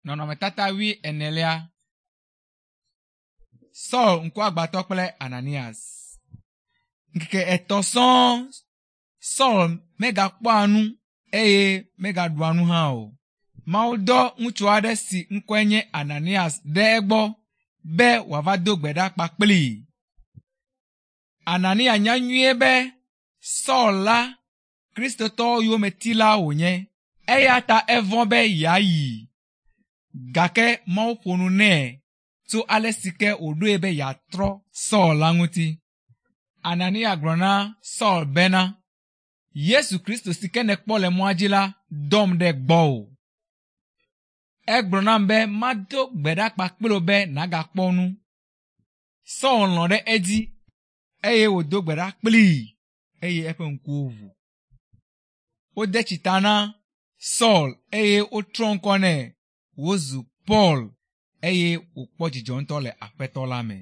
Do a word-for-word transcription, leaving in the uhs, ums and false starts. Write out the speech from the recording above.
Nɔnɔmetata wuienelia. Saul ŋkuagbãtɔ kple Ananias. Ŋkeke etɔ̃ sɔŋ Saul megakpɔa nu eye megaɖua nu hã o. Mawu dɔ ŋutsu aɖe si ŋkɔe nye Ananias ɖe egbɔ be wòava do gbe ɖa kpakplii. Anania nya nyuie be Saul la Kristotɔwo yometila wònye eya ta evɔ̃ be yeayi. Gake Mawu ƒo nu nɛ tso ale si ke wòɖoe be yeatrɔ Saul la ŋuti. Anania gblɔ na Saul bena, Yesu Kristo si ke nèkpɔ le mɔa dzi la dɔm ɖe gbɔwò. Egblɔ nam be mado gbe ɖa kpakple wò be nàgakpɔ nu. Saul lɔ̃ ɖe edzi eye wòdo gbe ɖa kplii eye eƒe ŋkuwo ʋu. Wode tsi ta na Saul eye wotrɔ ŋkɔ nɛ wòzu Paul eye wòkpɔ dzidzɔ ŋutɔ le Aƒetɔ la me.